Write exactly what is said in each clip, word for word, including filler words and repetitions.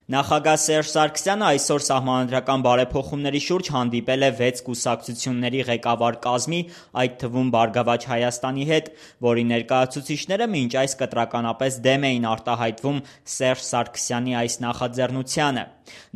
Նախագահ Սերժ Սարգսյանը այսօր սահմանադրական բարեփոխումների շուրջ հանդիպել է վեց կուսակցությունների ղեկավար կազմի, այդ թվում Բարգավաճ Հայաստանի հետ, որի ներկայացուցիչները մինչ այս կտրականապես դեմ էին արտահայտվում Սերժ Սարգսյանի այս նախաձեռնությանը։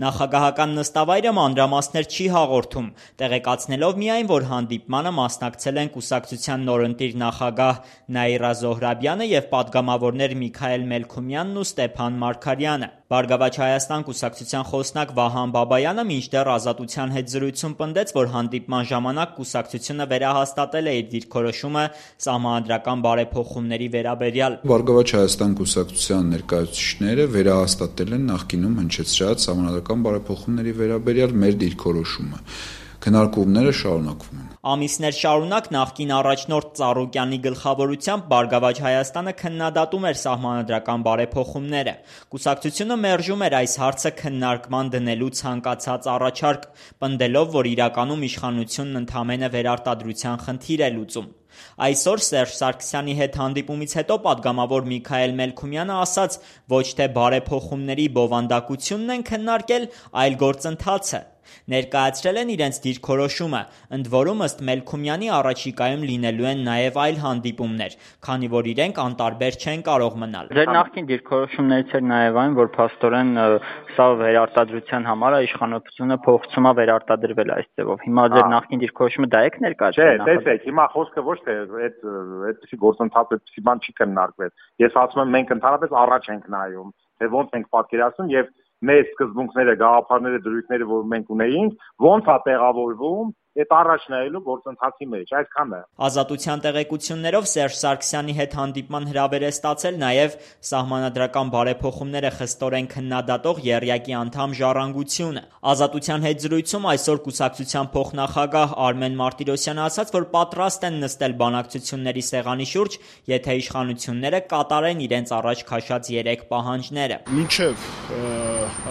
Նախագահական նստավայրը մանրամասներ չի հաղորդում, տեղեկացնելով միայն, որ հանդիպմանը մասնակցել են կուսակցության նորընտիր նախագահ Նաիրա Զոհրաբյանը և պատգամավորներ Միքայել Մելքումյանն ու Ստեփան Մարգարյանը։ Բարգավաճ Հայաստան կուսակցության խոսնակ Վահան Բաբայանը մինչդեռ Ազատության հետ զրույցում պնդեց, որ հանդիպման ժամանակ կուսակցությունը վերահաստատել է իր դիրքորոշումը սահմանադրական բարեփոխումների վերաբերյալ։ Բարգավաճ Հայաստան կուսակցության ներկայացուցիչները վերահաստատել են նախկինում հնչեցրած սահմանադրական բարեփոխումների վերաբերյալ մեր դիրքորոշումը։ Քննարկումները շարունակվում են։ Ամիսներ շարունակ նախկին առաջնորդ Ծառուկյանի գլխավորությամբ Բարգավաճ Հայաստանը քննադատում էր սահմանադրական բարեփոխումները։ Կուսակցությունը մերժում էր այս հարցը քննարկման դնելու ցանկացած առաջարկ, պնդելով, որ իրականում իշխանությունն ընդամենը վերարտադրության խնդիր է լուծում։ Այսօր Սերժ Սարգսյանի հետ հանդիպումից հետո պատգամավոր Միքայել Մելքումյանը ասաց, ոչ թե բարեփոխումների բովանդակությունն են քննարկել, այլ գործընթացը։ Ներկայացրել են իրենց դիրքորոշումը, ընդ որում ըստ Մելքումյանի առաջիկայում լինելու են նաև այլ հանդիպումներ, քանի որ իրենք անտարբեր չեն կարող մնալ։ Ձեր նախկին դիրքորոշումներից էր նաև այն, որ փաստորեն սա վերարտադրության համար է, իշխանությունը փոխում է վերարտադրվել այս ձևով։ Հիմա ձեր նախկին դիրքորոշումը դա եք ներկայացրել։ Չէ, տեսեք, հիմա խոսքը ոչ թե այդ այդպիսի գործընթաց, այդպիսի բան չի քննարկվել։ Ես ասում եմ, մենք ընդհանրապես առաջ ենք նայում, թե ոնց ենք պատկերացնում եւ մեր սկզբունքները, գաղափարները, դրույթները, որ մենք ունեինք, ոնց է տեղավորվում այդ առաջ նայելու գործընթացի մեջ, այսքանը։ Ազատության տեղեկություններով Սերժ Սարգսյանի հետ հանդիպման հրավեր է ստացել նաև սահմանադրական բարեփոխումները խստորեն քննադատող եռյակի անդամ Ժառանգությունը։ Ազատության հետ զրույցում այսօր կուսակցության փոխնախագահ Արմեն Մարտիրոսյանը ասաց, որ պատրաստ են նստել բանակցությունների սեղանի շուրջ, եթե իշխանությունները կատարեն իրենց առաջ քաշած երեք պահանջները։ Մինչև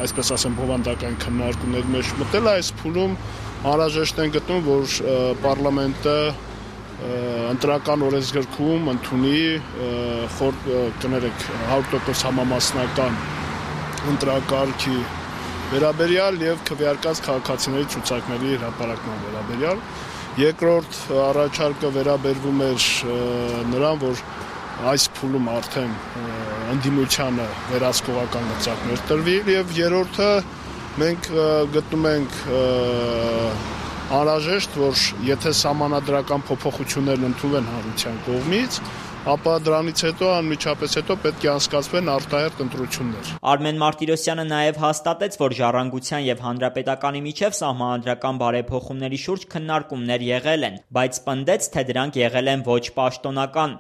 այսպես ասեմ բովանդական քննարկումների մեջ մտել այս փուլում անհրաժեշտ են գտնում, որ պարլամենտը ընտրական օրենսգրքում ընդունի կներեք հարյուր տոկոս համամասնական ընտրակարգի վերաբերյալ եւ քվեարկած քաղաքացիների ցուցակների հրապարակման վերաբերյալ։ Երկրորդ առաջարկը վերաբերվում էր նրան, որ այս փուլում արդեն ընդդիմությանը վերահսկողական լծակներ տրվի եւ երրորդը մենք գտնում ենք անհրաժեշտ, որ եթե սահմանադրական փոփոխություններն ընդունվեն հանրության կողմից, ապա դրանից հետո անմիջապես հետո պետք է անցկացվեն արտահերթ ընտրություններ։ Արմեն Մարտիրոսյանը նաև հաստատեց, որ Ժառանգության եւ Հանրապետականի միջև սահմանադրական բարեփոխումների շուրջ քննարկումներ եղել են, բայց պնդեց, թե դրանք եղել են ոչ պաշտոնական։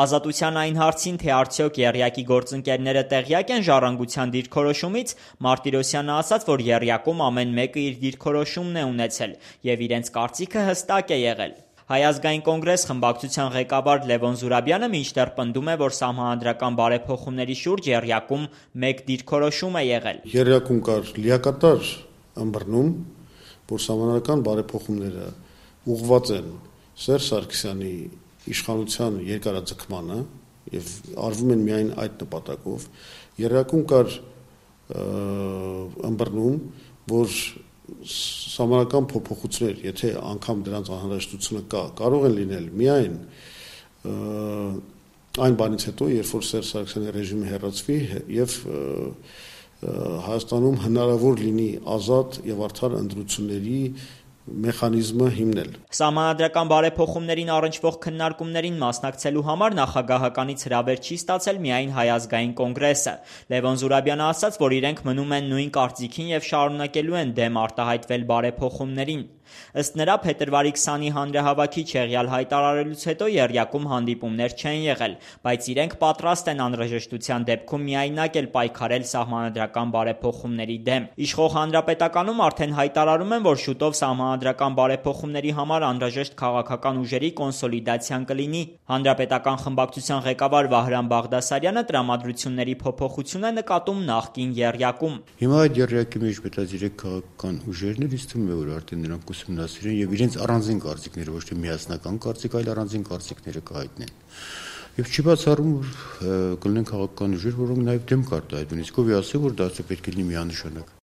Ազատության այն հարցին, թե արդյոք եռյակի գործընկերները տեղյակ են Ժառանգության դիրքորոշումից, Մարտիրոսյանը ասաց, որ եռյակում ամեն մեկը իր դիրքորոշումն է ունեցել եւ իրենց կարծիքը հստակ է եղել։ Հայ ազգային կոնգրես խմբակցության ղեկավար Լևոն Զուրաբյանը մինչդեռ պնդում է, որ սահմանադրական բարեփոխումների շուրջ եռյակում մեկ դիրքորոշում է եղել։ Եռյակում կար լիակատար ըմբռնում, որ սահմանադրական բարեփոխումները ուղղված են Սերժ Սարգսյանի իշխանության երկարաձգմանը եւ արվում են միայն այդ նպատակով։ Եռյակում կար ըմբռնում, որ սահմանադրական փոփոխություններ, եթե անգամ դրանց անհրաժեշտությունը կա, կարող են լինել միայն այն բանից հետո, երբ որ Սերժ Սարգսյանի ռեժիմը հեռացվի եւ Հայաստանում հնարավոր լինի ազատ եւ արդար ընտրությունների մեխանիզմը հիմնել։ Սահմանադրական բարեփոխումներին առնչվող քննարկումներին մասնակցելու համար նախագահականից հրավեր չի ստացել միայն Հայ ազգային կոնգրեսը։ Լևոն Զուրաբյանը ասաց, որ իրենք մնում են նույն կարծիքին եւ շարունակելու են դեմ արտահայտվել բարեփոխումներին։ Ըստ նրա փետրվարի քսանի հանրահավաքի չեղյալ հայտարարելուց հետո եռյակում հանդիպումներ չեն եղել, բայց իրենք պատրաստ են անհրաժեշտության դեպքում միայնակ էլ պայքարել սահմանադրական բարեփոխումների դեմ։ Իշխող Հանրապետականում արդեն հայտարարում են, որ շուտով սահմանադրական բարեփոխումների համար անհրաժեշտ քաղաքական ուժերի կոնսոլիդացիան կլինի։ Հանրապետական խմբակցության ղեկավար Վահրամ Բաղդասարյանը տրամադրությունների փոփոխություն է նկատում նախկին եռյակում։ Հիմա այդ եռյակի մեջ մտած երեք քաղաքական ուժերն էլ իստում է, որ արդեն նրանք ուսումնասիրեն եւ իրենց առանձին կարծիքները, ոչ թե միասնական կարծիք, այլ առանձին կարծիքները կհայտնեն։ Եվ չի բացառում, որ կլինեն քաղաքական ուժեր, որոնք նաև դեմ կարտահայտվեն, իսկ ով է ասել, որ դա պետք է լինի միանշանակ։